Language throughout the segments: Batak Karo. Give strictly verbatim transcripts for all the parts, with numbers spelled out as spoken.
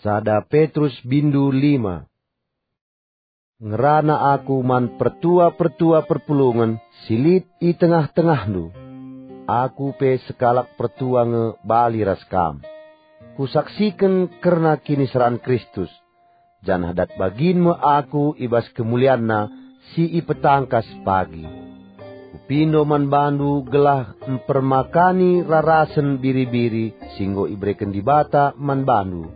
Sada Petrus bindu lima. Ngerana aku man pertua-pertua perpulungen si lit i tengah-tengahndu. Aku pe sekalak pertua nge bali ras kam. Kusaksiken kerna kiniseran Kristus, janah dat bagin me aku i bas kemulianNa si ipetangkas pagi. Kupindo man bandu gelah mpermakani rarasen biri-biri si enggo ibereken Dibata man bandu,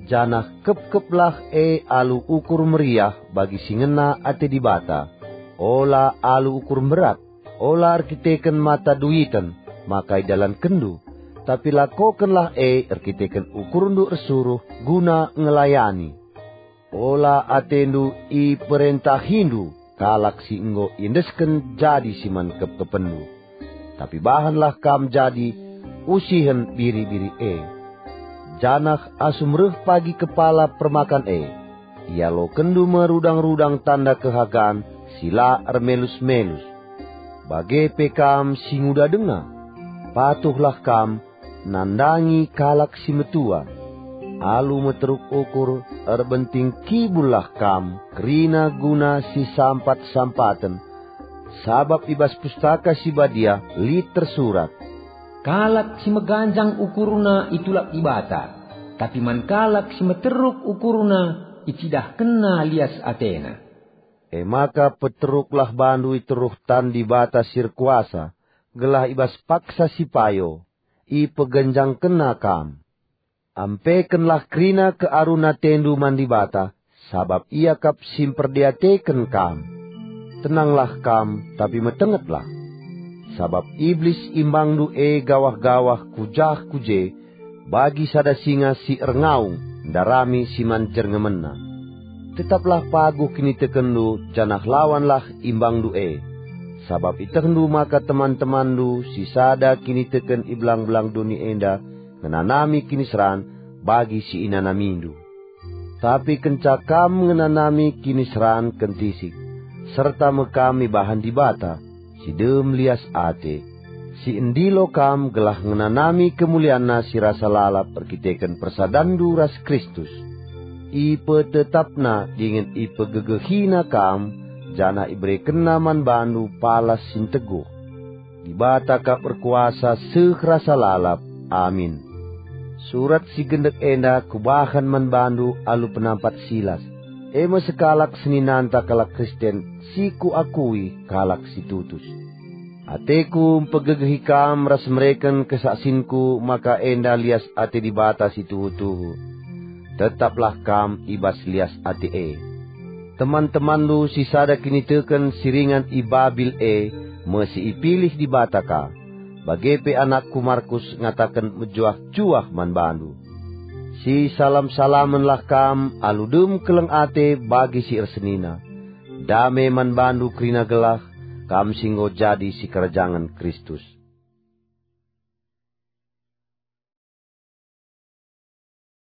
janah kepkeplah e alu ukur meriah bagi si ngena ate Dibata, ola alu ukur mberat, ola erkiteken mata duiten maka idalankenndu, tapi lakokenlah e erkiteken ukurndu ersuruh guna ngelayani. Ola atendu iperentahindu kalak si enggo iendesken jadi si man kepkepenndu, tapi bahanlah kam jadi usihen biri-biri e. Janah asum reh pagi kepala permakan e, ialokenndu me rudang-rudang tanda kehagan si la ermelus-melus. Bage pe kam si nguda denga, patuhlah kam nandangi kalak si metua. Alu meteruk ukur, erbenting kibullah kam kerina guna si sampat-sampaten, sabap i bas Pustaka Si Badia lit tersurat, "Kalak si meganjang ukurna itulak Dibata, tapi man kalak si meteruk ukurna icidahkenNa lias ateNa." E maka peteruklah bandu i teruh tan Dibata si erkuasa, gelah i bas paksa si payo ipegenjangkenNa kam. Ampekenlah kerina kearun atendu man Dibata, sabap Ia kap si mperdiateken kam. Tenanglah kam, tapi metengetlah. Sabap Iblis imbangndu e gawah-gawah ku jah ku je, bagi sada singa si erngaung ndarami si man jerngemenna. Tetaplah paguh kinitekenndu janah lawanlah imbangndu e, sabap ietehndu maka teman-temanndu si sada kiniteken i belang-belang doni enda ngenanami kiniseran bagi si inanamindu. Tapi kenca kam ngenanami kiniseran kentisik, serta me kam ibahan Dibata, si dem lias ate, si endilo kam gelah ngenanami kemulianNa si rasa lalap erkiteken persadanndu ras Kristus. IpetetapNa dingen ipegegehiNa kam, janah iberekenNa man bandu palas si nteguh. Dibata kap erkuasa seh rasa lalap. Amin. Surat si gendek enda kubahan man bandu alu penampat Silas, e me sekalak seninanta kalak Kristen si kuakui kalak si tutus. Ateku mpegegehi kam ras mereken kesaksinku maka enda lias ate Dibata si tuhu-tuhu. Tetaplah kam i bas lias ate e. Teman-temanndu si sada kiniteken si ringan i Babil e me si ipilih Dibata ka, bage pe anakku Markus ngataken mejuah-juah man bandu. Sisalam-salamenlah kam alu dem keleng ate bagi si ersenina. Dame man bandu kerina gelah kam si enggo jadi sikerajangen Kristus.